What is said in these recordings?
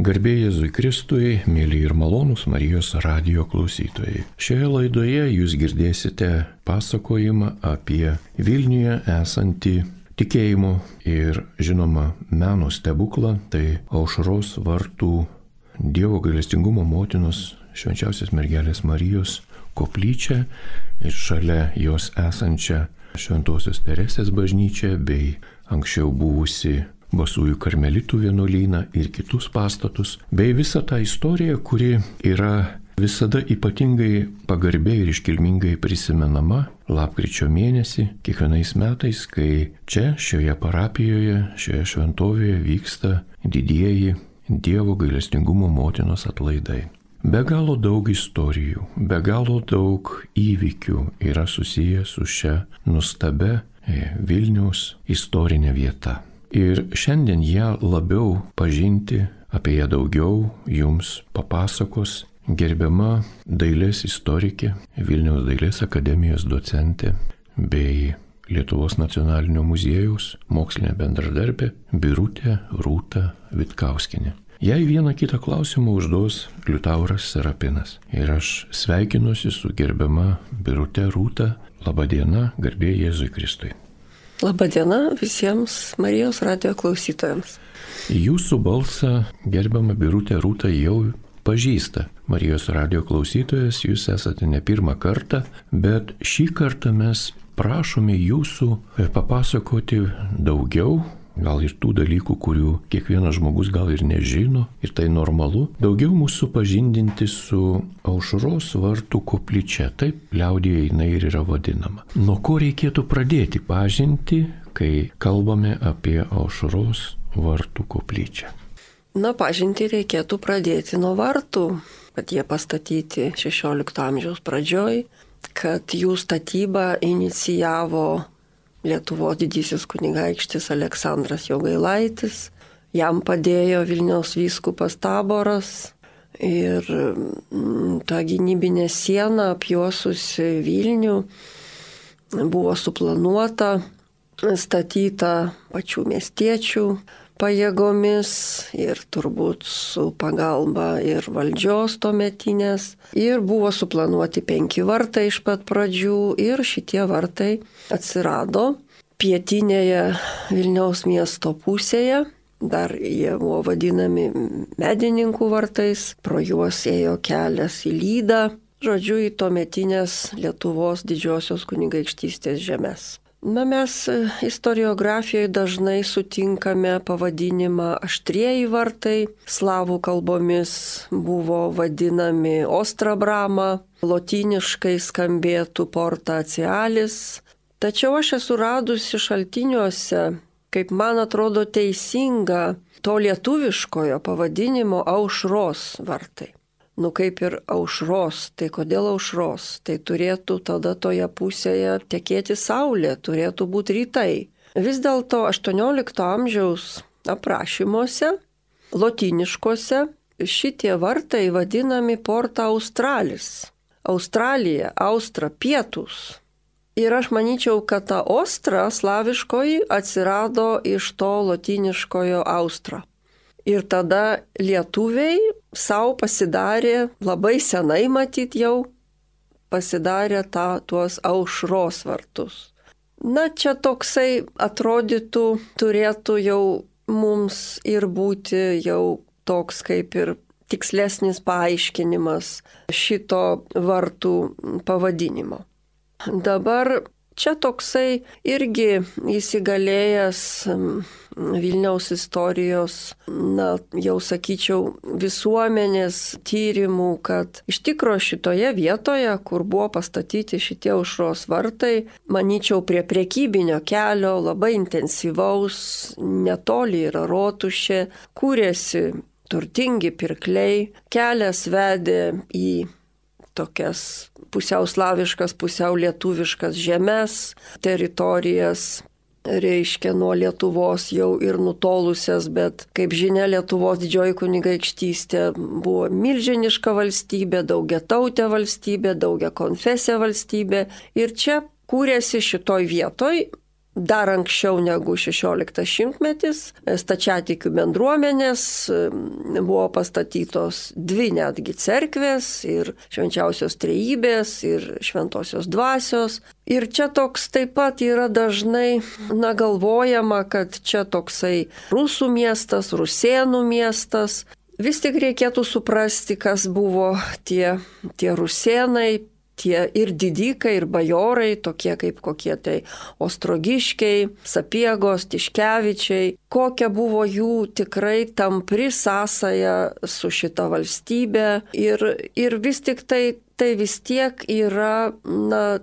Garbė Jėzui Kristui, mėly ir malonūs Marijos radijo klausytojai. Šioje laidoje jūs girdėsite pasakojimą apie Vilniuje esantį tikėjimo ir, žinoma, meno stebuklą, tai Aušros vartų Dievo gailestingumo motinos švenčiausios mergelės Marijos koplyčią ir šalia jos esančią Šventosios Teresės bažnyčią bei anksčiau buvusi Basųjų karmelitų vienuolyną ir kitus pastatus, bei visą tą istoriją, kuri yra visada ypatingai pagarbiai ir iškilmingai prisimenama lapkričio mėnesį, kiekvienais metais, kai čia, šioje parapijoje, šioje šventovėje vyksta didieji Dievo gailestingumo motinos atlaidai. Be galo daug istorijų, be galo daug įvykių yra susiję su šia nuostabia Vilniaus istorinė vieta. Ir šiandien ją labiau pažinti, apie ją daugiau jums papasakos gerbiama dailės istorikė, Vilniaus dailės akademijos docentė bei Lietuvos nacionalinio muziejaus mokslinė bendradarbė Birutė Rūta Vitkauskienė. Jei vieną kitą klausimą užduos Liutauras Serapinas. Ir aš sveikinuosi su gerbiama Birutė Rūta. Labadiena, garbė Jėzui Kristui. Labadiena visiems Marijos radijo klausytojams. Jūsų balsą, gerbiama Birutė Rūta, jau pažįsta Marijos radijo klausytojas, jūs esate ne pirmą kartą, bet šį kartą mes prašome jūsų papasakoti daugiau, gal ir tų dalykų, kurių kiekvienas žmogus gal ir nežino, ir tai normalu, daugiau mūsų pažindinti su Aušros vartų koplyčia, taip liaudyje jinai ir yra vadinama. Nuo ko reikėtų pradėti pažinti, kai kalbame apie Aušros vartų koplyčią? Pažinti reikėtų pradėti nuo vartų, kad jie pastatyti 16 amžiaus pradžioj, kad jų statybą inicijavo Lietuvos didysis kunigaikštis Aleksandras Jogailaitis, jam padėjo Vilniaus vyskupas Taboras ir ta gynybinė siena apjuosusi Vilnių buvo suplanuota, statyta pačių miestiečių pajėgomis ir turbūt su pagalba ir valdžios tuometinės. Ir buvo suplanuoti 5 vartai iš pat pradžių ir šitie vartai atsirado pietinėje Vilniaus miesto pusėje. Dar jie buvo vadinami medininkų vartais, pro juos ėjo kelias į Lydą, žodžiu, į tuometinės Lietuvos didžiosios kunigaikštystės žemes. Mes istoriografijoje dažnai sutinkame pavadinimą aštrieji vartai, slavų kalbomis buvo vadinami Ostra Brama, lotyniškai skambėtų Porta Acialis. Tačiau aš esu radusi šaltiniuose, kaip man atrodo teisinga, to lietuviškojo pavadinimo Aušros vartai. Kaip ir Aušros, tai kodėl Aušros? Tai turėtų tada toje pusėje tekėti saulė, turėtų būti rytai. Vis dėlto 18 amžiaus aprašymuose, lotyniškuose, šitie vartai vadinami Porta Australis. Australija, Austra, pietus. Ir aš manyčiau, kad ta Ostra slaviškoji atsirado iš to lotyniškojo Austra. Ir tada lietuviai savo pasidarė, labai senai matyt jau, pasidarė tuos Aušros vartus. Čia toksai atrodytų, turėtų jau mums ir būti jau toks kaip ir tikslesnis paaiškinimas šito vartų pavadinimo. Dabar čia toksai irgi įsigalėjęs Vilniaus istorijos, jau sakyčiau, visuomenės tyrimų, kad iš tikro šitoje vietoje, kur buvo pastatyti šitie Aušros vartai, manyčiau, prie prekybinio kelio, labai intensyvaus, netoli yra rotušė, kūrėsi turtingi pirkliai, kelias vedė į tokias pusiau slaviškas, pusiau lietuviškas žemes, teritorijas, reiškia nuo Lietuvos jau ir nutolusias, bet kaip žinia, Lietuvos didžioji kunigaikštystė buvo milžiniška valstybė, daugiatautė valstybė, daugiakonfesė valstybė. Ir čia kūrėsi šitoj vietoj dar anksčiau negu 16 šimtmetis stačiatikių bendruomenės buvo pastatytos 2 netgi cerkvės ir švenčiausios trejybės ir šventosios dvasios. Ir čia toks taip pat yra dažnai galvojama, kad čia toksai rusų miestas, rusėnų miestas. Vis tik reikėtų suprasti, kas buvo tie rusėnai, tie ir didikai, ir bajorai, tokie kaip kokie tai Ostrogiškiai, Sapiegos, Tiškevičiai, kokia buvo jų tikrai tampri sąsaja su šita valstybė. Ir vis tik tai vis tiek yra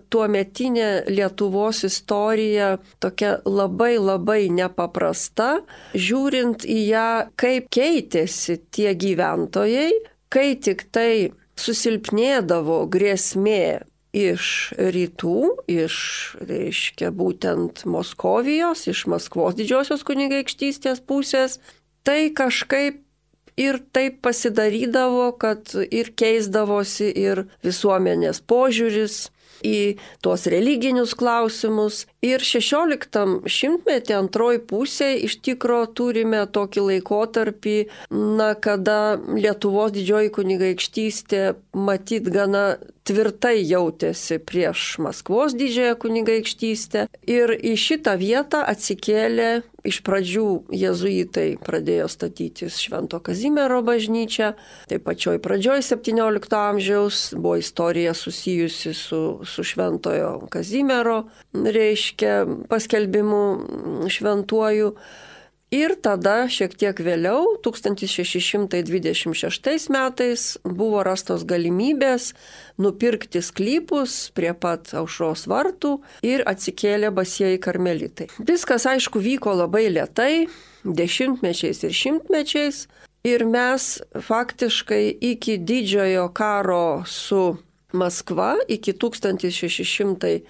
tuometinė Lietuvos istorija tokia labai nepaprasta, žiūrint į ją, kaip keitėsi tie gyventojai, kai tik tai susilpnėdavo grėsmė iš rytų, reiškia būtent Moskovijos, iš Maskvos didžiosios kunigaikštystės pusės, tai kažkaip ir taip pasidarydavo, kad ir keisdavosi ir visuomenės požiūris į tuos religinius klausimus. Ir 16 šimtmetį antroji pusė iš tikro turime tokį laikotarpį, kada Lietuvos didžioji kunigaikštystė matyt gana tvirtai jautėsi prieš Maskvos didžiąją kunigaikštystę. Ir į šitą vietą atsikėlė iš pradžių jėzuitai, pradėjo statytis Švento Kazimiero bažnyčią. Tai pačioj pradžioj 17 amžiaus buvo istorija susijusi su Šventojo Kazimiero, reiškia, paskelbimu šventuoju. Ir tada šiek tiek vėliau, 1626 metais, buvo rastos galimybės nupirkti sklypus prie pat Aušros vartų ir atsikėlė basieji karmelitai. Viskas, aišku, vyko labai lėtai, dešimtmečiais ir šimtmečiais. Ir mes faktiškai iki didžiojo karo su Maskva, iki 1655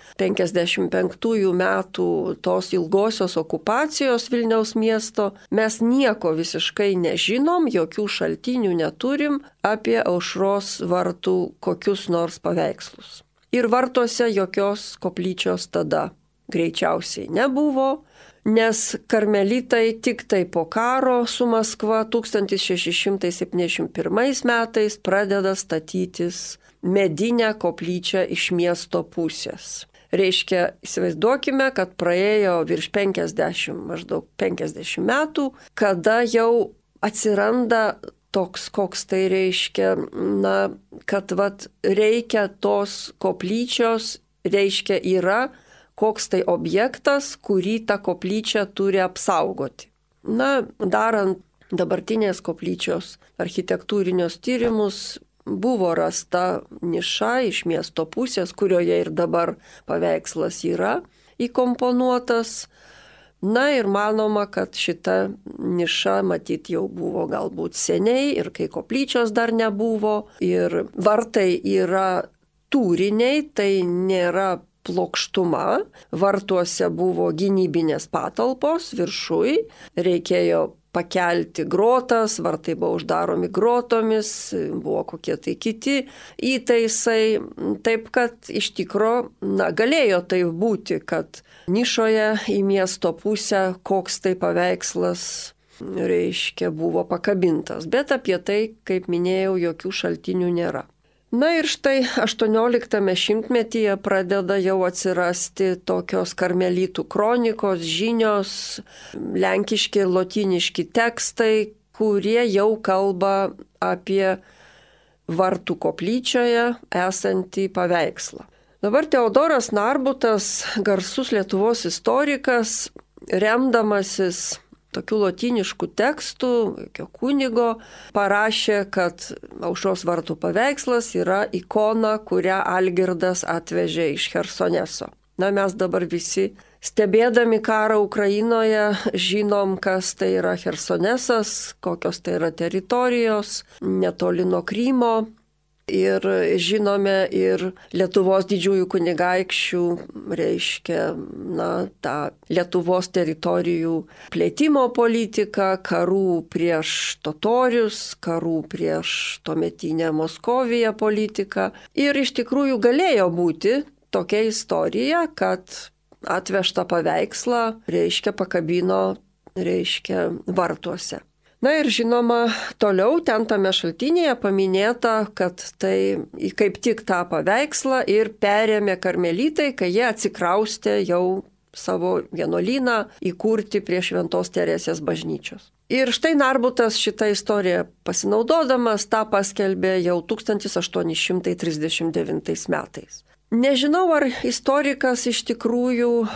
metų tos ilgosios okupacijos Vilniaus miesto, mes nieko visiškai nežinom, jokių šaltinių neturim apie Aušros vartų kokius nors paveikslus. Ir vartuose jokios koplyčios tada greičiausiai nebuvo, nes karmelitai tik tai po karo su Maskva 1671 metais pradeda statytis medinę koplyčią iš miesto pusės. Reiškia, įsivaizduokime, kad praėjo virš 50, maždaug 50 metų, kada jau atsiranda toks, koks tai reiškia, kad reikia tos koplyčios, reiškia yra koks tai objektas, kurį ta koplyčia turi apsaugoti. Darant dabartinės koplyčios architektūrinius tyrimus, buvo rasta niša iš miesto pusės, kurioje ir dabar paveikslas yra įkomponuotas. Ir manoma, kad šita niša matyt jau buvo galbūt seniai ir kai koplyčios dar nebuvo. Ir vartai yra tūriniai, tai nėra plokštuma. Vartuose buvo gynybinės patalpos viršui, reikėjo pakelti grotas, vartai buvo uždaromi grotomis, buvo kokie tai kiti įtaisai. Taip kad iš tikro, galėjo tai būti, kad nišoje į miesto pusę koks tai paveikslas, reiškia, buvo pakabintas. Bet apie tai, kaip minėjau, jokių šaltinių nėra. Ir štai 18 šimtmetyje pradeda jau atsirasti tokios karmelitų kronikos, žinios, lenkiški ir lotyniški tekstai, kurie jau kalba apie vartų koplyčioje esantį paveikslą. Dabar Teodoras Narbutas, garsus Lietuvos istorikas, remdamasis tokių lotyniškų tekstų, kunigo, parašė, kad Aušros vartų paveikslas yra ikona, kurią Algirdas atvežė iš Chersoneso. Mes dabar visi, stebėdami karą Ukrainoje, žinom, kas tai yra Chersonesas, kokios tai yra teritorijos, netoli nuo Krymo. Ir žinome ir Lietuvos didžiųjų kunigaikščių, reiškia, tą Lietuvos teritorijų plėtimo politiką, karų prieš totorius, karų prieš tuometinę Moskoviją politiką. Ir iš tikrųjų galėjo būti tokia istorija, kad atvežtą paveikslą, reiškia, pakabino, reiškia, vartuose. Na ir žinoma, toliau ten tame šaltinėje paminėta, kad tai kaip tik tą paveikslą ir perėmė karmelitai, kai jie atsikraustė jau savo vienuolyną įkurti prie Šventos Teresės bažnyčios. Ir štai Narbutas šitą istoriją pasinaudodamas tą paskelbė jau 1839 metais. Nežinau, ar istorikas iš tikrųjų,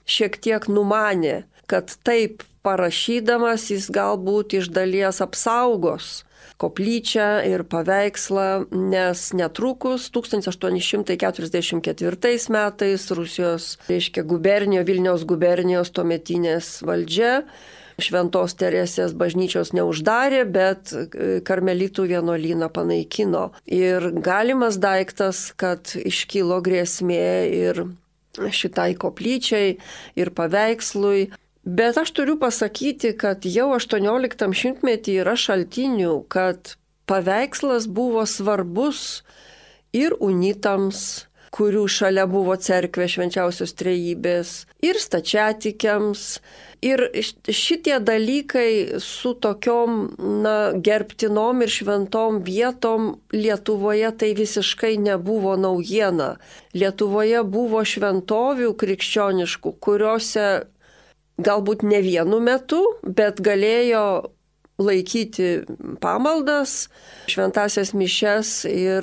šiek tiek numanė, kad taip parašydamas jis galbūt iš dalies apsaugos koplyčią ir paveikslą, nes netrukus 1844 metais Rusijos, reiškia, Vilniaus gubernijos tuometinės valdžia Šventos Teresės bažnyčios neuždarė, bet karmelitų vienuolyną panaikino. Ir galimas daiktas, kad iškilo grėsmė ir šitai koplyčiai, ir paveikslui. Bet aš turiu pasakyti, kad jau 18 šimtmetį yra šaltinių, kad paveikslas buvo svarbus ir unitams, kurių šalia buvo cerkvė Švenčiausios Trejybės, ir stačiatikiams. Ir šitie dalykai su tokiom gerbtinom ir šventom vietom Lietuvoje tai visiškai nebuvo naujiena. Lietuvoje buvo šventovių krikščioniškų, kuriuose galbūt ne vienu metu, bet galėjo laikyti pamaldas, šventasias mišias ir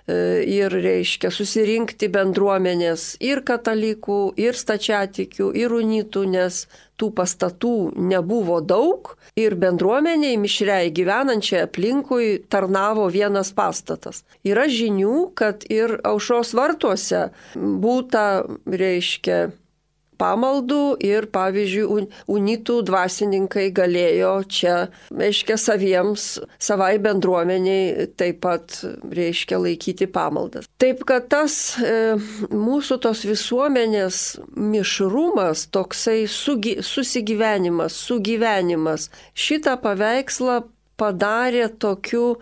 reiškia susirinkti bendruomenės ir katalikų, ir stačiatikių, ir unitų, nes tų pastatų nebuvo daug ir bendruomeniai mišriai gyvenančiai aplinkui tarnavo vienas pastatas. Yra žinių, kad ir Aušros vartuose būta, reiškia, pamaldų ir, pavyzdžiui, unitų dvasininkai galėjo čia, reiškia, savai bendruomeniai taip pat, reiškia, laikyti pamaldas. Taip, kad tas mūsų tos visuomenės mišrumas, toksai sugyvenimas, šitą paveikslą padarė tokiu,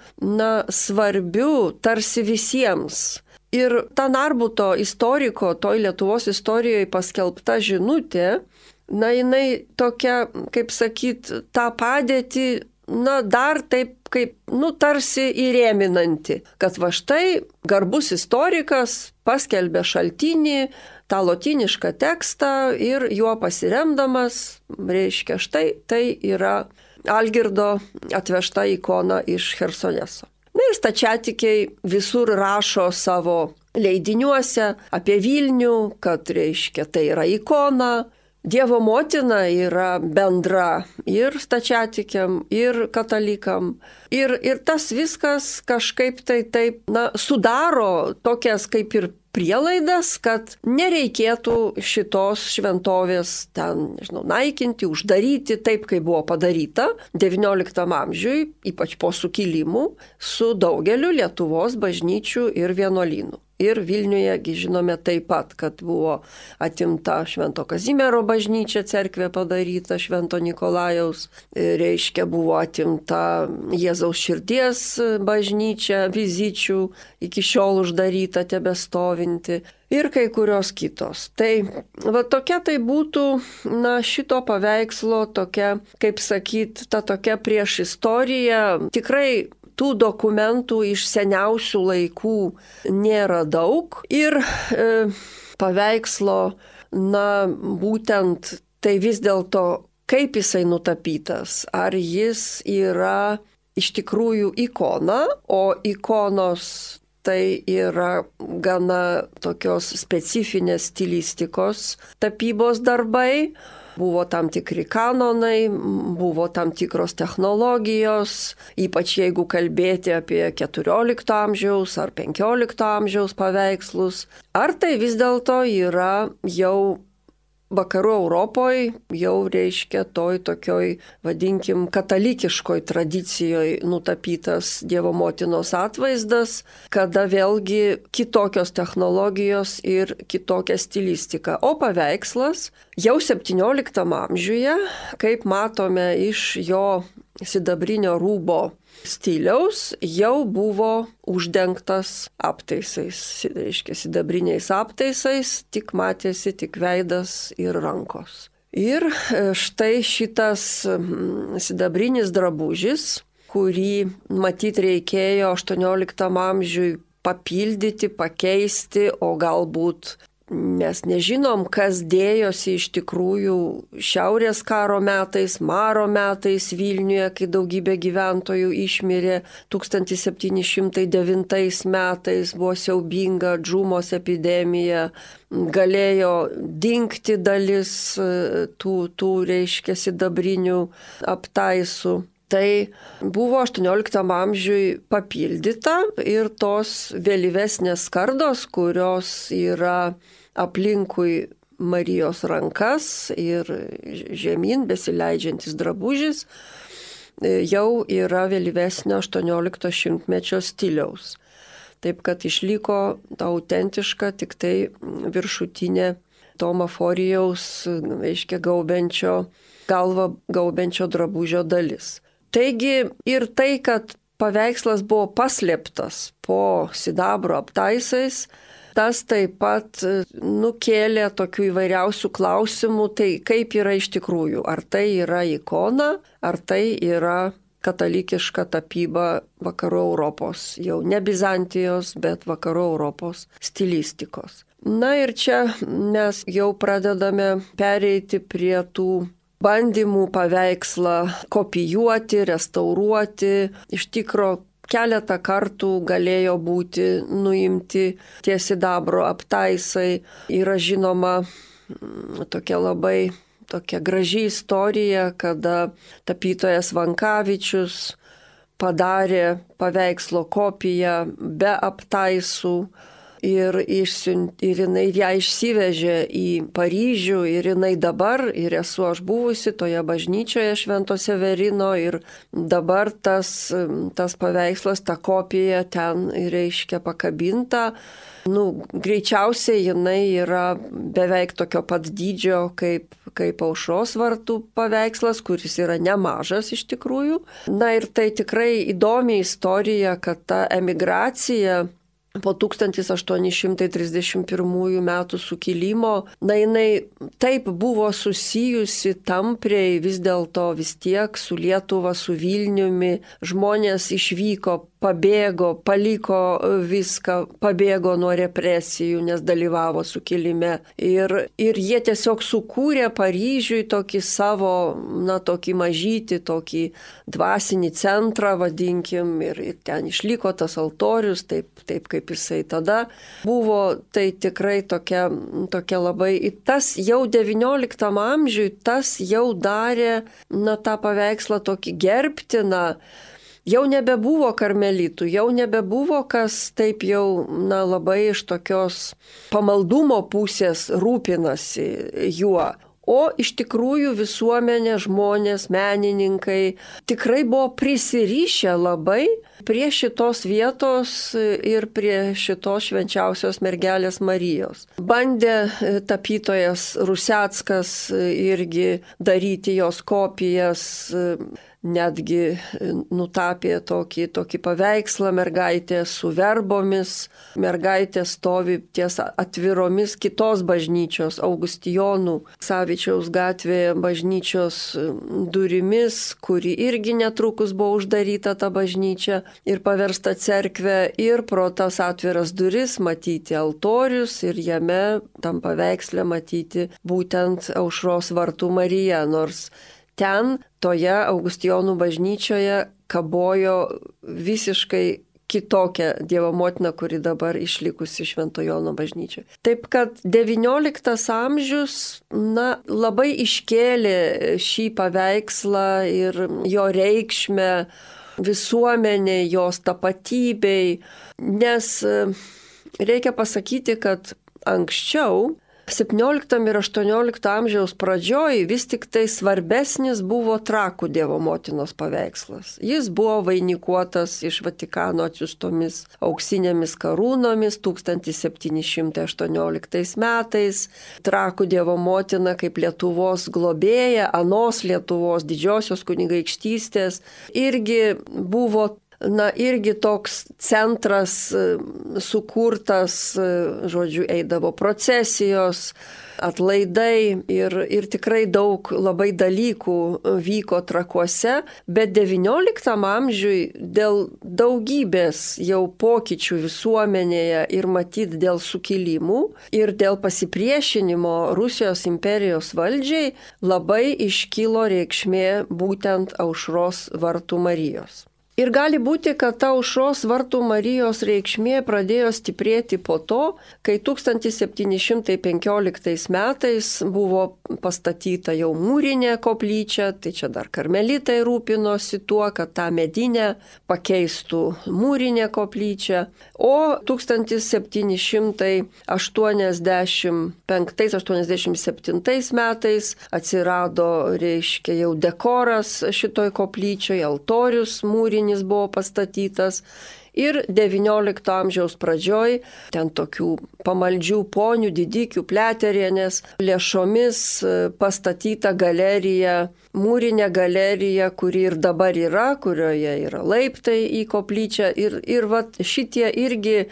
svarbiu tarsi visiems. Ir ta Narbuto istoriko, toj Lietuvos istorijoje paskelbta žinutė, jinai tokia, kaip sakyt, tą padėtį, dar taip kaip, tarsi įrėminanti, kad va štai garbus istorikas paskelbė šaltinį, tą lotynišką tekstą ir juo pasiremdamas, reiškia, štai tai yra Algirdo atvežta ikona iš Chersoneso. Ir stačiatikiai visur rašo savo leidiniuose apie Vilnių, kad, reiškia, tai yra ikona. Dievo motina yra bendra ir stačiatikiam, ir katalikam. Ir tas viskas kažkaip taip, sudaro tokias kaip ir prielaidas, kad nereikėtų šitos šventovės ten, naikinti, uždaryti taip, kaip buvo padaryta XIX amžiui, ypač po sukilimų, su daugeliu Lietuvos bažnyčių ir vienuolynų. Ir Vilniuje, žinome taip pat, kad buvo atimta Švento Kazimiero bažnyčia, cerkvė padaryta Švento Nikolajaus, reiškia, buvo atimta Jėzaus širdies bažnyčia, Vizičių, iki šiol uždaryta, tebestovinti. Ir kai kurios kitos. Tai va tokia tai būtų, šito paveikslo tokia, kaip sakyt, ta tokia priešistorija. Tikrai tų dokumentų iš seniausių laikų nėra daug. Ir paveikslo, būtent tai vis dėlto, kaip jisai nutapytas. Ar jis yra iš tikrųjų ikona, o ikonos tai yra gana tokios specifinės stilistikos tapybos darbai. Buvo tam tikri kanonai, buvo tam tikros technologijos, ypač jeigu kalbėti apie 14 amžiaus ar 15 amžiaus paveikslus. Ar tai vis dėlto yra jau vakarų Europoje, jau reiškia toj tokioj, vadinkim, katalikiškoj tradicijoje nutapytas Dievo motinos atvaizdas, kada vėlgi kitokios technologijos ir kitokia stilistika. O paveikslas jau 17 amžiuje, kaip matome iš jo sidabrinio rūbo stiliaus jau buvo uždengtas aptaisais, reiškia sidabriniais aptaisais, tik matėsi tik veidas ir rankos. Ir štai šitas sidabrinis drabužis, kurį matyt reikėjo 18 amžiui papildyti, pakeisti, o galbūt mes nežinom, kas dėjosi iš tikrųjų Šiaurės karo metais, Maro metais Vilniuje, kai daugybė gyventojų išmirė 1709 metais, buvo siaubinga džumos epidemija, galėjo dingti dalis tų reiškia sidabrinių aptaisų. Tai buvo 18 amžiui papildyta ir tos vėlyvesnės skardos, kurios yra aplinkui Marijos rankas ir žemyn besileidžiantis drabužis, jau yra vėlyvesnio 18 šimtmečio stiliaus. Taip kad išliko autentiška tik tai viršutinė Tomo Forijaus, reiškia, galvą gaubenčio drabužio dalis. Taigi ir tai, kad paveikslas buvo paslėptas po sidabro aptaisais, tas taip pat nukėlė tokių įvairiausių klausimų, tai kaip yra iš tikrųjų, ar tai yra ikona, ar tai yra katalikiška tapyba vakarų Europos, jau ne Bizantijos, bet vakarų Europos stilistikos. Na ir čia mes jau pradedame pereiti prie tų bandymų paveikslą kopijuoti, restauruoti. Iš tikro keletą kartų galėjo būti nuimti tie sidabro aptaisai. Yra žinoma tokia graži istorija, kada tapytojas Vankavičius padarė paveikslo kopiją be aptaisų. Ir jinai ją išsivežė į Paryžių ir jinai dabar, ir esu aš buvusi toje bažnyčioje Švento Severino ir dabar tas paveikslas, ta kopija ten reiškia pakabinta. Greičiausiai jinai yra beveik tokio pat dydžio kaip Aušros vartų paveikslas, kuris yra nemažas iš tikrųjų. Na ir tai tikrai įdomi istorija, kad ta emigracija po 1831 metų sukilimo, jinai taip buvo susijusi tampriai vis dėlto vis tiek su Lietuva, su Vilniumi. Žmonės išvyko, pabėgo, paliko viską, pabėgo nuo represijų, nes dalyvavo sukilime. Ir jie tiesiog sukūrė Paryžiui tokį savo, tokį mažytį, tokį dvasinį centrą, vadinkim, ir ten išliko tas altorius, taip kaip jisai tada buvo. Tai tikrai tokia labai, tas jau XIX amžiui, tas jau darė, tą paveikslą tokį gerbtiną. Jau nebebuvo karmelitų, jau nebebuvo kas taip jau labai iš tokios pamaldumo pusės rūpinasi juo. O iš tikrųjų visuomenė, žmonės, menininkai tikrai buvo prisirišę labai prie šitos vietos ir prie šitos švenčiausios mergelės Marijos. Bandė tapytojas Ruseckas irgi daryti jos kopijas, netgi nutapė tokį paveikslą mergaitė su verbomis. Mergaitė stovi ties atviromis kitos bažnyčios, Augustijonų Savičiaus gatvėje bažnyčios durimis, kuri irgi netrukus buvo uždaryta ta bažnyčia ir paversta cerkve. Ir pro tas atviras duris matyti altorius ir jame tam paveiksle matyti būtent Aušros vartų Marija, nors ten, toje Augustijonų bažnyčioje, kabojo visiškai kitokia Dievo motina, kuri dabar išlikusi Švento Jono bažnyčioje. Taip kad XIX amžius labai iškėlė šį paveikslą ir jo reikšmę visuomeniai, jos tapatybei, nes reikia pasakyti, kad anksčiau 17 ir 18 amžiaus pradžioj vis tik tai svarbesnis buvo Trakų Dievo motinos paveikslas. Jis buvo vainikuotas iš Vatikano atsiųstomis auksinėmis karūnomis 1718 metais. Trakų Dievo motina kaip Lietuvos globėja, anos Lietuvos didžiosios kunigaikštystės, irgi buvo irgi toks centras sukurtas, žodžiu, eidavo procesijos, atlaidai ir tikrai daug labai dalykų vyko Trakuose, bet XIX amžiui dėl daugybės jau pokyčių visuomenėje ir matyt dėl sukilimų ir dėl pasipriešinimo Rusijos imperijos valdžiai labai iškilo reikšmė būtent Aušros vartų Marijos. Ir gali būti, kad ta Aušros vartų Marijos reikšmė pradėjo stiprėti po to, kai 1715 metais buvo pastatyta jau mūrinė koplyčia, tai čia dar karmelitai rūpinosi tuo, kad tą medinę pakeistų mūrinė koplyčia, o 1785-87 metais atsirado, reiškia, jau dekoras šitoj koplyčioj, altorius mūrinis buvo pastatytas ir XIX amžiaus pradžioj ten tokių pamaldžių ponių, didikių, pleterienės lėšomis pastatyta galerija, mūrinė galerija, kuri ir dabar yra, kurioje yra laiptai į koplyčią ir vat šitie irgi,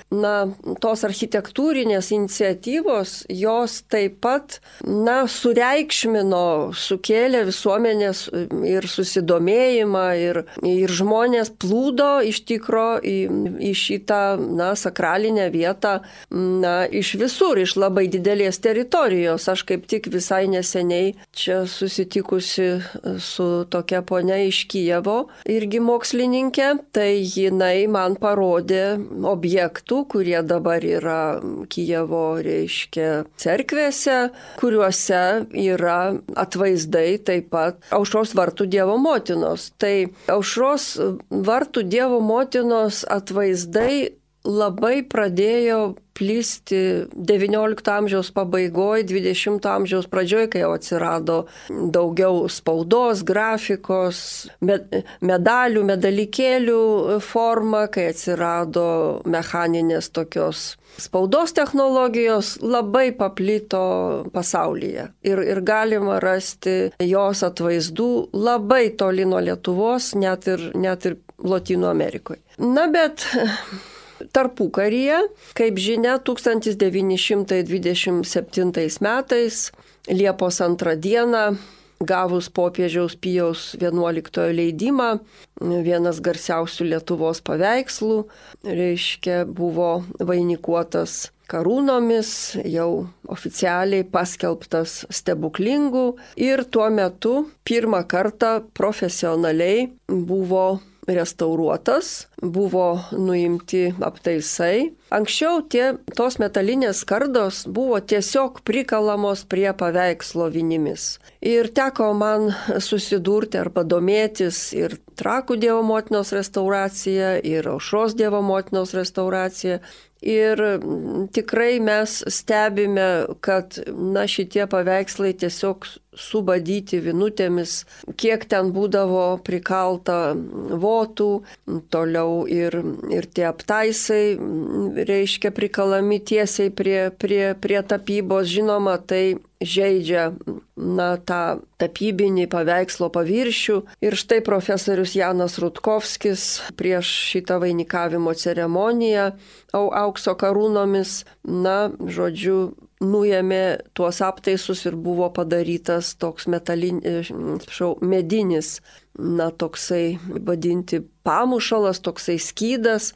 tos architektūrinės iniciatyvos, jos taip pat, sureikšmino, sukėlė visuomenės ir susidomėjimą ir žmonės plūdo iš tikro į šitą, sakralinę vietą, iš visur, iš labai didelės teritorijos. Aš kaip tik visai neseniai čia susitikusi su tokia ponia iš Kijevo, irgi mokslininkė, tai jinai man parodė objektų, kurie dabar yra Kijevo, reiškia, cerkvėse, kuriuose yra atvaizdai taip pat Aušros vartų Dievo motinos. Tai Aušros vartų Dievo motinos atvaizdai labai pradėjo plisti XIX amžiaus pabaigoje, XX amžiaus pradžioje, kai jau atsirado daugiau spaudos, grafikos, medalių, medalikėlių forma, kai atsirado mechaninės tokios spaudos technologijos, labai paplito pasaulyje. Ir galima rasti jos atvaizdų labai toli nuo Lietuvos, net ir Lotynų Amerikoje. Bet tarpukaryje, kaip žinia, 1927 metais, Liepos 2 dieną, gavus popiežiaus Pijaus XI leidimą, vienas garsiausių Lietuvos paveikslų, reiškia, buvo vainikuotas karūnomis, jau oficialiai paskelbtas stebuklingų ir tuo metu pirmą kartą profesionaliai buvo restauruotas, buvo nuimti aptaisai. Anksčiau tos metalinės skardos buvo tiesiog prikalamos prie paveikslo vinimis. Ir teko man susidurti arba domėtis ir Trakų Dievo motinos restauracija, ir Aušros Dievo motinos restauracija. Ir tikrai mes stebime, kad šitie paveikslai tiesiog subadyti vinutėmis, kiek ten būdavo prikalta votų, toliau ir tie aptaisai, reiškia, prikalami tiesiai prie tapybos. Žinoma, tai žeidžia tą tapybinį paveikslo paviršių. Ir štai profesorius Janas Rutkovskis prieš šitą vainikavimo ceremoniją aukso karūnomis, žodžiu, nuėmė tuos aptaisus ir buvo padarytas toks medinis, toksai vadinti pamušalas, toksai skydas,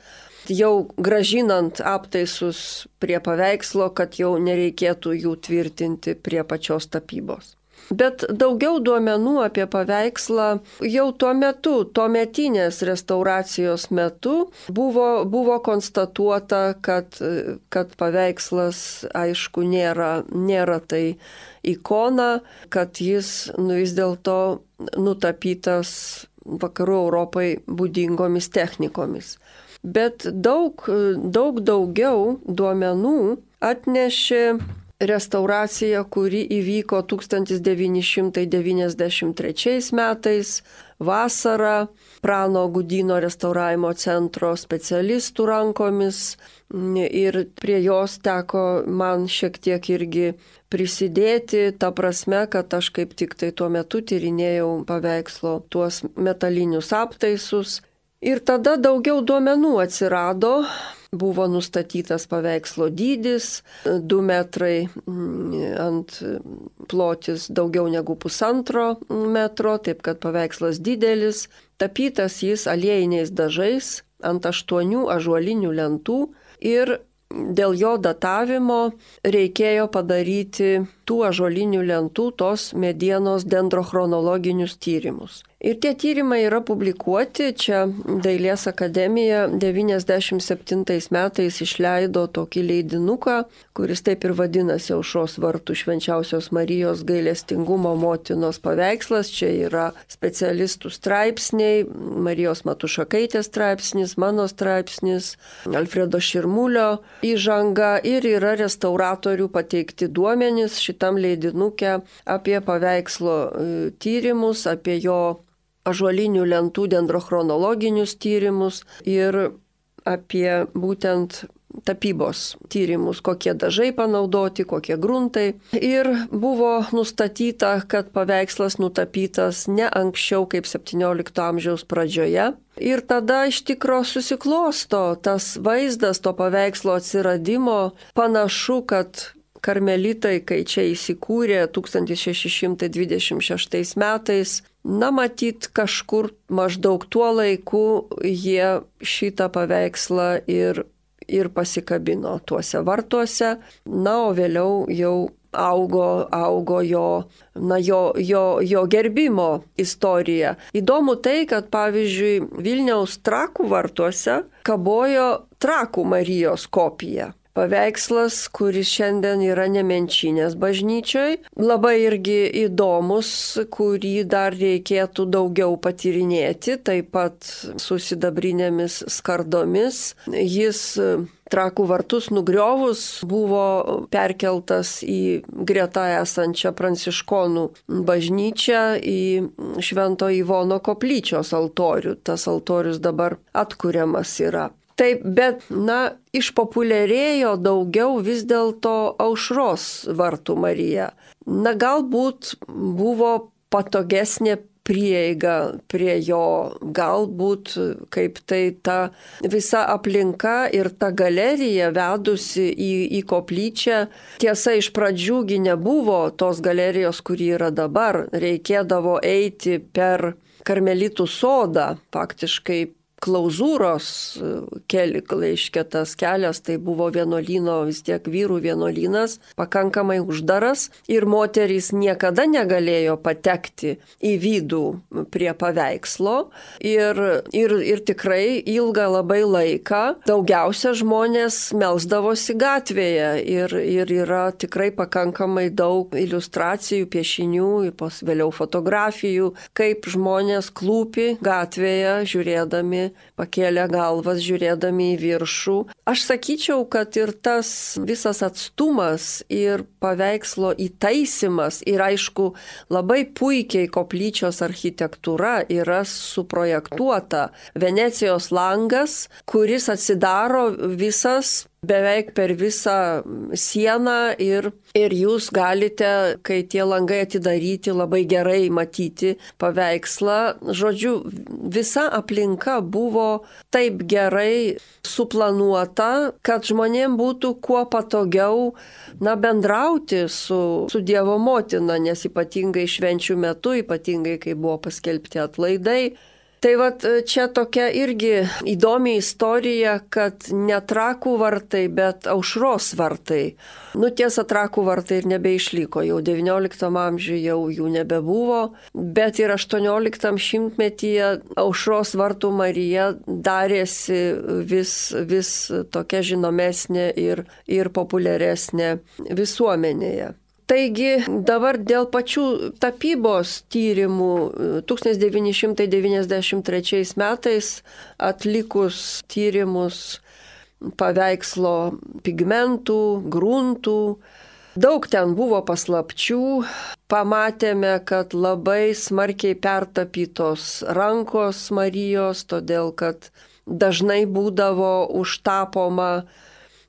jau gražinant aptaisus prie paveikslo, kad jau nereikėtų jų tvirtinti prie pačios tapybos. Bet daugiau duomenų apie paveikslą jau tuometinės restauracijos metu buvo konstatuota, kad paveikslas, aišku, nėra tai ikona, kad jis vis dėlto nutapytas vakarų Europai būdingomis technikomis. Bet daug daugiau duomenų atnešė restauracija, kuri įvyko 1993 metais vasarą Prano Gudyno restauravimo centro specialistų rankomis ir prie jos teko man šiek tiek irgi prisidėti, ta prasme, kad aš kaip tik tai tuo metu tyrinėjau paveikslo tuos metalinius aptaisus. Ir tada daugiau duomenų atsirado. Buvo nustatytas paveikslo dydis, 2 metrai ant plotis daugiau negu 1,5 metro, taip kad paveikslas didelis. Tapytas jis aliejiniais dažais ant 8 ąžuolinių lentų ir dėl jo datavimo reikėjo padaryti tų ąžuolinių lentų tos medienos dendrochronologinius tyrimus. Ir tie tyrimai yra publikuoti, čia Dailės akademija 97 metais išleido tokį leidinuką, kuris taip ir vadinasi Aušros vartų Švenčiausios Marijos gailestingumo motinos paveikslas. Čia yra specialistų straipsniai, Marijos Matušakaitės straipsnis, mano straipsnis, Alfredo Širmulio įžanga ir yra restauratorių pateikti duomenys šitam leidinuke apie paveikslo tyrimus, apie jo ąžuolinių lentų dendrochronologinius tyrimus ir apie būtent tapybos tyrimus, kokie dažai panaudoti, kokie gruntai. Ir buvo nustatyta, kad paveikslas nutapytas ne anksčiau kaip 17 amžiaus pradžioje. Ir tada iš tikro susiklosto tas vaizdas to paveikslo atsiradimo. Panašu, kad karmelitai, kai čia įsikūrė 1626 metais, matyt, kažkur maždaug tuo laiku jie šitą paveikslą ir pasikabino tuose vartuose. O vėliau jau augo jo gerbimo istorija. Įdomu tai, kad pavyzdžiui Vilniaus Trakų vartuose kabojo Trakų Marijos kopija. Paveikslas, kuris šiandien yra Nemenčinės bažnyčioj, labai irgi įdomus, kurį dar reikėtų daugiau patyrinėti, taip pat su sidabrinėmis skardomis. Jis Trakų vartus nugriovus buvo perkeltas į greta esančią pranciškonų bažnyčią, į Švento Ivono koplyčios altorių. Tas altorius dabar atkuriamas yra. Taip, bet, išpopuliarėjo daugiau vis dėlto Aušros vartų Marija. Galbūt buvo patogesnė prieiga prie jo, galbūt kaip tai ta visa aplinka ir ta galerija vedusi į koplyčią. Tiesa, iš pradžiųgi nebuvo tos galerijos, kuri yra dabar. Reikėdavo eiti per Karmelitų sodą, faktiškai klauzūros tas kelias, tai buvo vienuolyno, vis tiek vyrų vienuolynas, pakankamai uždaras ir moterys niekada negalėjo patekti į vidų prie paveikslo ir tikrai ilgą labai laiką daugiausia žmonės melsdavosi gatvėje ir yra tikrai pakankamai daug iliustracijų, piešinių, vėliau fotografijų, kaip žmonės klūpi gatvėje žiūrėdami, pakėlė galvas žiūrėdami į viršų. Aš sakyčiau, kad ir tas visas atstumas ir paveikslo įtaisimas ir aišku labai puikiai koplyčios architektūra yra suprojektuota. Venecijos langas, kuris atsidaro visas beveik per visą sieną ir jūs galite, kai tie langai atidaryti, labai gerai matyti paveikslą. Žodžiu, visa aplinka buvo taip gerai suplanuota, kad žmonėms būtų kuo patogiau bendrauti su Dievo motina, nes ypatingai švenčių metu, ypatingai kai buvo paskelbti atlaidai. Tai čia tokia irgi įdomi istorija, kad ne Trakų vartai, bet Aušros vartai. Tiesa, Trakų vartai ir nebeišliko, jau XIX amžiuje jau jų nebebuvo, bet ir 18 šimtmetyje Aušros vartų Marija darėsi vis tokia žinomesnė ir populiaresnė visuomenėje. Taigi dabar dėl pačių tapybos tyrimų 1993 metais atlikus tyrimus paveikslo pigmentų, gruntų, Daug ten buvo paslapčių, pamatėme, kad labai smarkiai pertapytos rankos Marijos, todėl kad dažnai būdavo užtapoma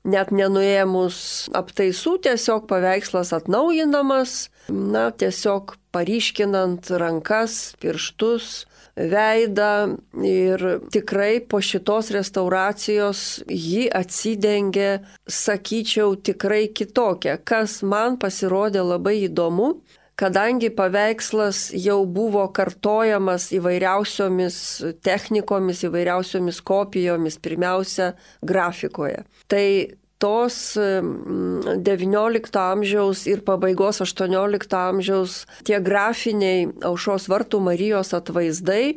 net nenuėmus aptaisų, tiesiog paveikslas atnaujinamas, tiesiog paryškinant rankas, pirštus, veidą ir tikrai po šitos restauracijos ji atsidengė, sakyčiau, tikrai kitokią, kas man pasirodė labai įdomu, kadangi paveikslas jau buvo kartojamas įvairiausiomis technikomis, įvairiausiomis kopijomis, pirmiausia grafikoje. Tai tos XIX amžiaus ir pabaigos XVIII amžiaus tie grafiniai Aušros vartų Marijos atvaizdai,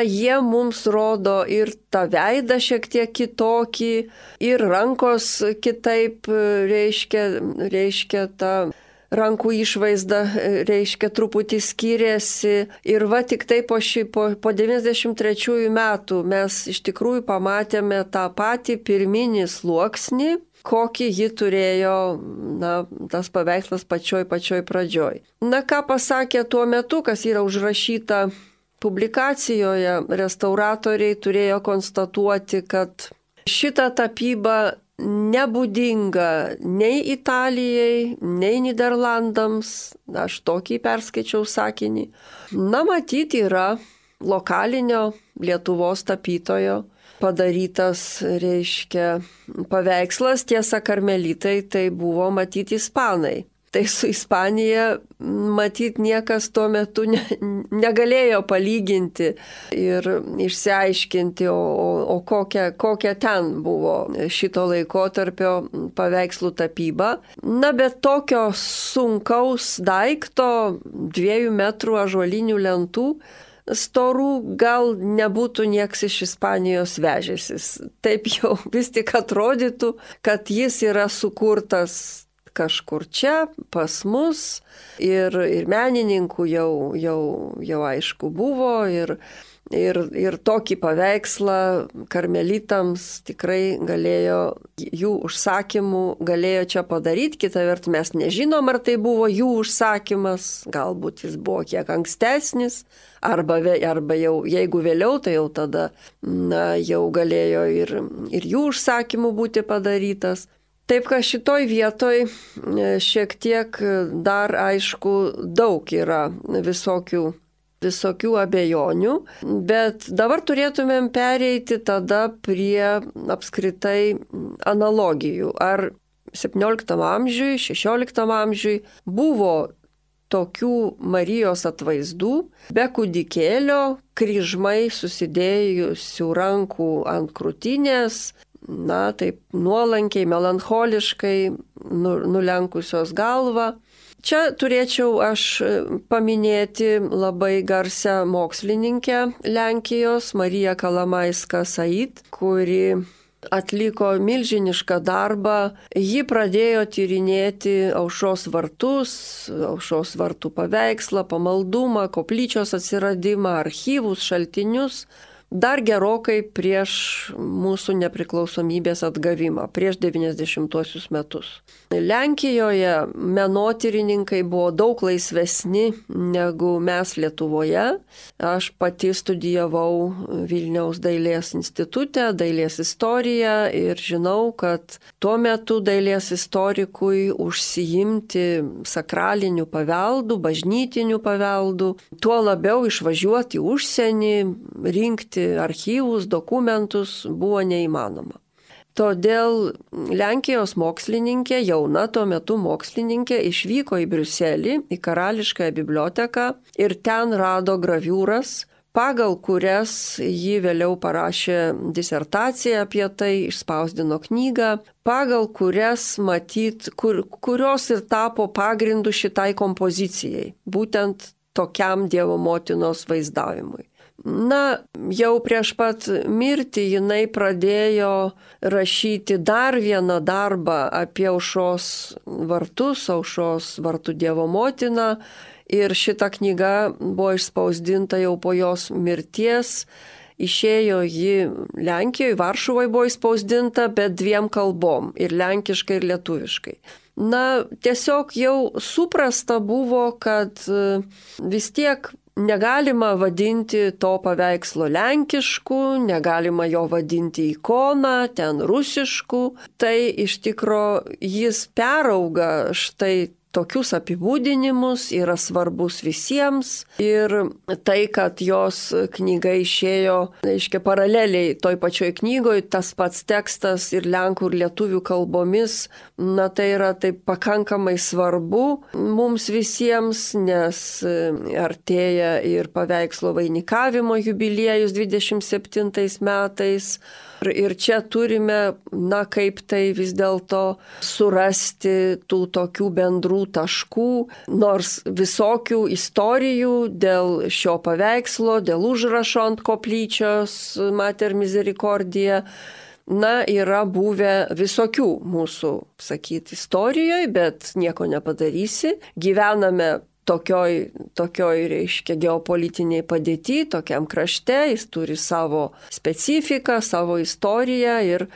jie mums rodo ir tą veidą šiek tiek kitokį, ir rankos kitaip reiškia tą rankų išvaizda, reiškia truputį skiriasi. Ir tik tai po 93 metų mes iš tikrųjų pamatėme tą patį pirminį sluoksnį, kokį ji turėjo, tas paveikslas pačioj pradžioj. Ką pasakė tuo metu, kas yra užrašyta publikacijoje, restauratoriai turėjo konstatuoti, kad šita tapyba nebūdinga nei Italijai, nei Niderlandams, aš tokį perskaičiau sakinį. Matyti yra lokalinio Lietuvos tapytojo padarytas, reiškia, paveikslas, tiesa karmelitai tai buvo matyti ispanai. Tai su Ispanija matyt niekas tuo metu negalėjo palyginti ir išsiaiškinti, o kokia ten buvo šito laikotarpio paveikslų tapyba. Bet tokio sunkaus daikto, 2 metrų ąžuolinių lentų, storų gal nebūtų nieks iš Ispanijos vežęsis. Taip jau vis tik atrodytų, kad jis yra sukurtas kažkur čia, pas mus, ir menininkų jau aišku buvo, ir tokį paveikslą karmelitams tikrai galėjo, jų užsakymų galėjo čia padaryti. Kita vertus, mes nežinom, ar tai buvo jų užsakymas, galbūt jis buvo kiek ankstesnis, arba jau, jeigu vėliau, tai jau tada jau galėjo ir jų užsakymų būti padarytas. Taip, kad šitoj vietoj šiek tiek dar aišku daug yra visokių abejonių, bet dabar turėtumėm pereiti tada prie apskritai analogijų. Ar 17 amžiui, 16 amžiui buvo tokių Marijos atvaizdų, be kūdikėlio, kryžmai susidėjusių rankų ant krūtinės, taip nuolankiai, melancholiškai nulenkusios galvą. Čia turėčiau aš paminėti labai garsią mokslininkę Lenkijos, Mariją Kalamaiska-Sait, kuri atliko milžinišką darbą. Ji pradėjo tyrinėti Aušros vartus, Aušros vartų paveikslą, pamaldumą, koplyčios atsiradimą, archyvus, šaltinius. Dar gerokai prieš mūsų nepriklausomybės atgavimą, prieš 90-uosius metus. Lenkijoje menotyrininkai buvo daug laisvesni negu mes Lietuvoje. Aš pati studijavau Vilniaus dailės institute, dailės istoriją, ir žinau, kad tuo metu dailės istorikui užsiimti sakraliniu paveldu, bažnytiniu paveldu, tuo labiau išvažiuoti į užsienį, rinkti archyvus, dokumentus buvo neįmanoma. Todėl Lenkijos mokslininkė, jauna tuo metu mokslininkė, išvyko į Briuselį, į Karališkąją biblioteką, ir ten rado graviūras, pagal kurias ji vėliau parašė disertaciją apie tai, išspausdino knygą, pagal kurias kurios ir tapo pagrindu šitai kompozicijai, būtent tokiam Dievo motinos vaizdavimui. Jau prieš pat mirtį jinai pradėjo rašyti dar vieną darbą apie Aušros vartus, Aušros vartų Dievo motiną, ir šita knyga buvo išspausdinta jau po jos mirties. Išėjo ji Lenkijoje, Varšuvoje buvo išspausdinta, bet 2 kalbom, ir lenkiškai, ir lietuviškai. tiesiog jau suprasta buvo, kad vis tiek negalima vadinti to paveikslo lenkišku, negalima jo vadinti ikona, ten rusišku. Tai iš tikro jis perauga štai tokius apibūdinimus, yra svarbus visiems. Ir tai, kad jos knyga išėjo, reiškia, paraleliai toj pačioj knygoj, tas pats tekstas ir lenkų ir lietuvių kalbomis, tai yra taip pakankamai svarbu mums visiems, nes artėja ir paveikslo vainikavimo jubiliejus 27 metais. Ir čia turime, kaip tai vis dėlto surasti tų tokių bendrų taškų, nors visokių istorijų dėl šio paveikslo, dėl užrašo ant koplyčios Mater Misericordia, yra buvę visokių mūsų, istorijoje, bet nieko nepadarysi. Gyvename tokioj, reiškia, geopolitiniai padėti, tokiam krašte, jis turi savo specifiką, savo istoriją ir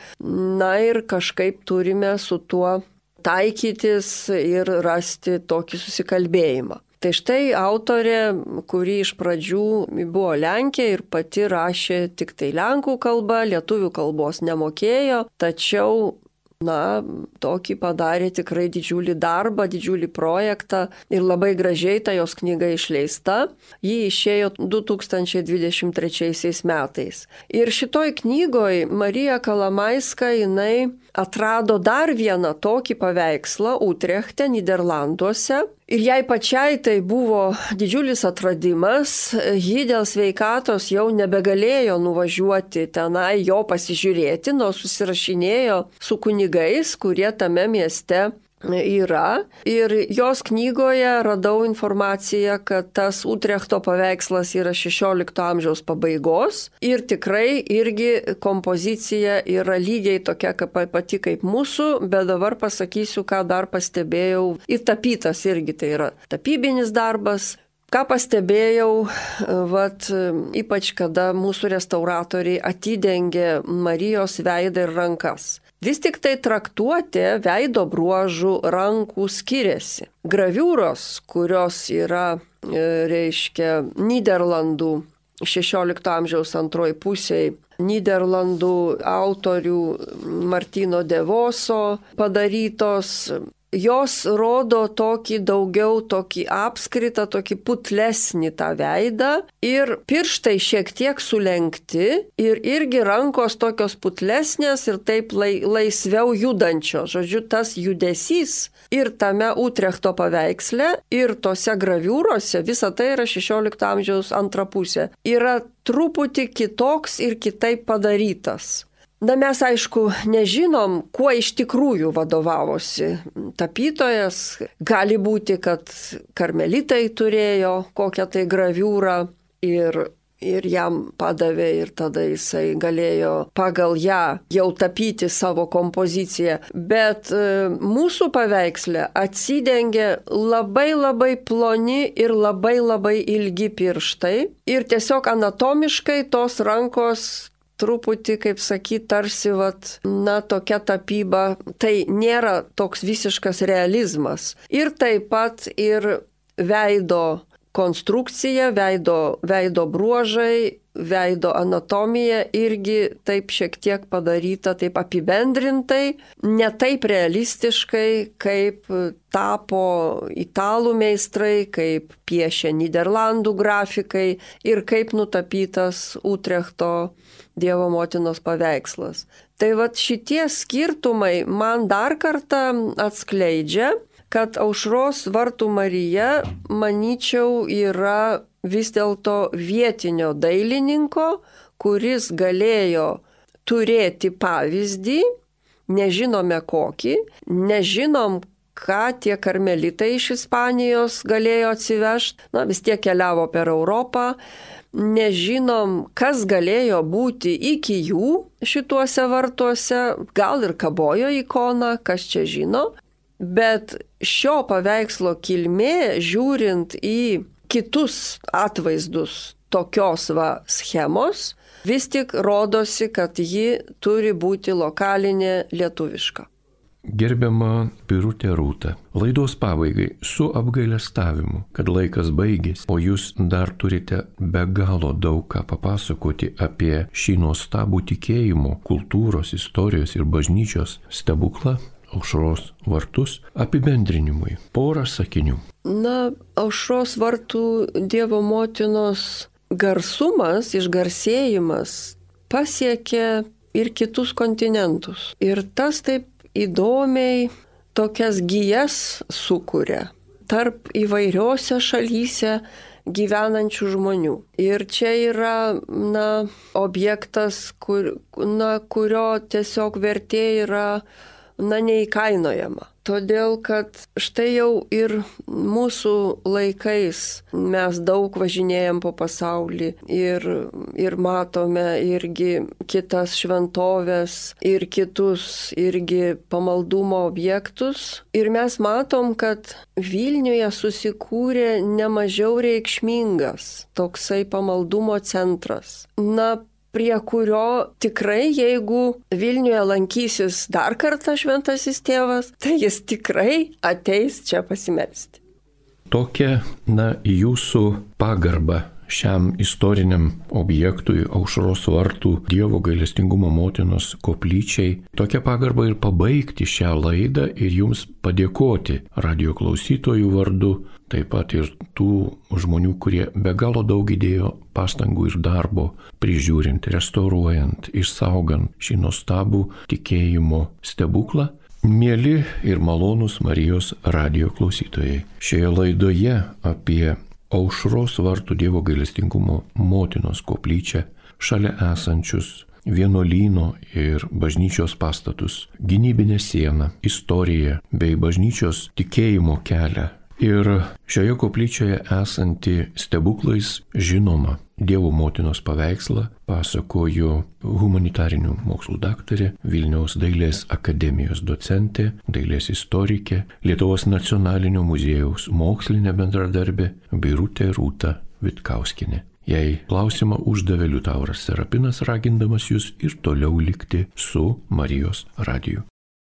kažkaip turime su tuo taikytis ir rasti tokį susikalbėjimą. Tai štai autorė, kuri iš pradžių buvo Lenkė ir pati rašė tik tai lenkų kalba, lietuvių kalbos nemokėjo, tačiau tokį padarė tikrai didžiulį darbą, didžiulį projektą ir labai gražiai ta jos knyga išleista. Ji išėjo 2023 metais. Ir šitoj knygoj Marija Kalamaiska jinai atrado dar vieną tokį paveikslą Utrechte, Niderlanduose. Ir jai pačiai tai buvo didžiulis atradimas, ji dėl sveikatos jau nebegalėjo nuvažiuoti tenai jo pasižiūrėti, nors susirašinėjo su kunigais, kurie tame mieste yra. Ir jos knygoje radau informaciją, kad tas Utrechto paveikslas yra 16 amžiaus pabaigos ir tikrai irgi kompozicija yra lygiai tokia pati kaip mūsų, bet dabar pasakysiu, ką dar pastebėjau. Ir tapytas irgi tai yra tapybinis darbas. Ką pastebėjau, ypač kada mūsų restauratoriai atidengė Marijos veidą ir rankas. Vis tik tai traktuotė veido bruožų rankų skiriasi. Graviūros, kurios yra, reiškia, Niderlandų 16 amžiaus antroji pusėje, Niderlandų autorių Martino de Voso padarytos, jos rodo tokį apskritą, tokį putlesnį tą veidą ir pirštai šiek tiek sulenkti ir irgi rankos tokios putlesnės ir taip laisviau judančios. Žodžiu, tas judesys ir tame Utrechto paveiksle ir tose graviūrose, visa tai yra 16 amžiaus antra pusė, yra truputį kitoks ir kitaip padarytas. Mes, aišku, nežinom, kuo iš tikrųjų vadovavosi tapytojas. Gali būti, kad karmelitai turėjo kokią tai graviūrą ir jam padavė ir tada jisai galėjo pagal ją jau tapyti savo kompoziciją. Bet mūsų paveiksle atsidengia labai ploni ir labai ilgi pirštai ir tiesiog anatomiškai tos rankos truputį, kaip sakyti, tarsi, tokia tapyba, tai nėra toks visiškas realizmas. Ir taip pat ir veido konstrukcija, veido bruožai, veido anatomija irgi taip šiek tiek padaryta, taip apibendrintai, ne taip realistiškai, kaip tapo italų meistrai, kaip piešė Niderlandų grafikai ir kaip nutapytas Utrechto Dievo motinos paveikslas. Tai šitie skirtumai man dar kartą atskleidžia, kad Aušros vartų Marija, manyčiau, yra vis dėlto vietinio dailininko, kuris galėjo turėti pavyzdį, nežinome kokį, nežinom, ką tie karmelitai iš Ispanijos galėjo atsivežti, vis tiek keliavo per Europą, nežinom, kas galėjo būti iki jų šituose vartuose, gal ir kabojo ikona, kas čia žino, bet šio paveikslo kilmė, žiūrint į kitus atvaizdus tokios schemos, vis tik rodosi, kad ji turi būti lokalinė lietuviška. Gerbiama Birutė Rūta, laidos pabaigai su apgailestavimu, kad laikas baigėsi, o jūs dar turite be galo daug ką papasakoti apie šį nuostabų tikėjimo, kultūros, istorijos ir bažnyčios stebuklą, Aušros vartus, apibendrinimui. Porą sakinių. Aušros vartų Dievo motinos garsumas, išgarsėjimas pasiekė ir kitus kontinentus. Ir tas taip įdomiai tokias gijas sukuria tarp įvairiose šalyse gyvenančių žmonių. Ir čia yra, objektas, kurio tiesiog vertė yra, neįkainojama. Todėl, kad štai jau ir mūsų laikais mes daug važinėjam po pasaulį ir matome irgi kitas šventoves ir kitus irgi pamaldumo objektus. Ir mes matom, kad Vilniuje susikūrė nemažiau reikšmingas toksai pamaldumo centras. Prie kurio tikrai, jeigu Vilniuje lankysis dar kartą šventasis tėvas, tai jis tikrai ateis čia pasimelsti. Tokia, jūsų pagarba šiam istoriniam objektui, Aušros vartų Dievo gailestingumo motinos koplyčiai, tokia pagarba ir pabaigti šią laidą ir jums padėkoti radijo klausytojų vardu, taip pat ir tų žmonių, kurie be galo daug įdėjo pastangų ir darbo prižiūrint, restauruojant, išsaugant šį nuostabų tikėjimo stebuklą. Mieli ir malonūs Marijos radijo klausytojai, šioje laidoje apie Aušros vartų Dievo gailestingumo motinos koplyčią, šalia esančius vienuolyno ir bažnyčios pastatus, gynybinę sieną, istoriją bei bažnyčios tikėjimo kelią. Ir šioje koplyčioje esanti stebuklais žinoma Dievo motinos paveikslą pasakojo humanitarinių mokslų daktarė, Vilniaus dailės akademijos docentė, dailės istorikė, Lietuvos nacionalinio muziejaus mokslinė bendradarbė Birutė Rūta Vitkauskienė. Jei klausimą uždavė Liutauras Serapinas, ragindamas jūs ir toliau likti su Marijos radiju.